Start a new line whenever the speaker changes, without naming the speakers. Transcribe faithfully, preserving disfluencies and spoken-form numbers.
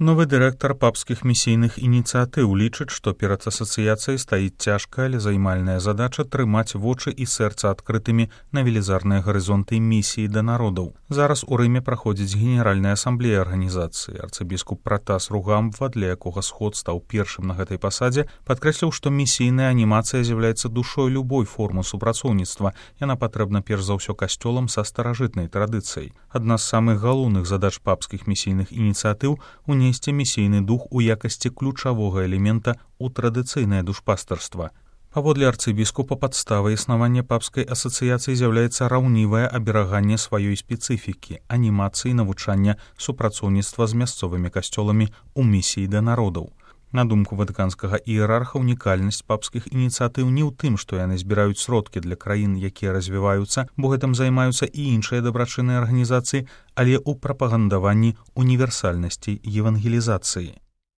Новы дырэктар папскіх місійных ініцыятыў лічыць, што перад асацыяцыяй стаіць цяжкая, але займальная задача трымаць вочы і сэрца адкрытымі на велізарныя гарызонты місіі да народаў. Зараз у Рыме праходзіць генеральная асамблея арганізацыі. Арцыбіскуп Пратас Ругамба, для якога сход стаў першым на гэтай пасадзе, падкрэсліў, што місійная анімацыя з'яўляецца душой любой формы супрацоўніцтва. Яна патрэбна перш за ўсё касцёлам са старажытнай традыцыяй. Адна з самых галоўных задач папскіх місійных ініцыятыў унесці місійны дух у якасці ключавога элемента ў традыцыйнае душпастарства. Паводле арцыбіскупа падставай існавання папскай асацыяцыі з'яўляецца раўнівае абераганне сваёй спецыфікі, анімацыі навучання супрацоўніцтва з мясцовымі касцёламі ў місіі да народаў. На думку ватыканскага іерарха, унікальнасць папскіх ініцыятыў не ў тым, што яны збіраюць сродкі для краін, якія развіваюцца, бо гэтым займаюцца і іншыя дабрачынныя арганізацыі, але ў прапагандаванні універсальнасці евангелізацыі.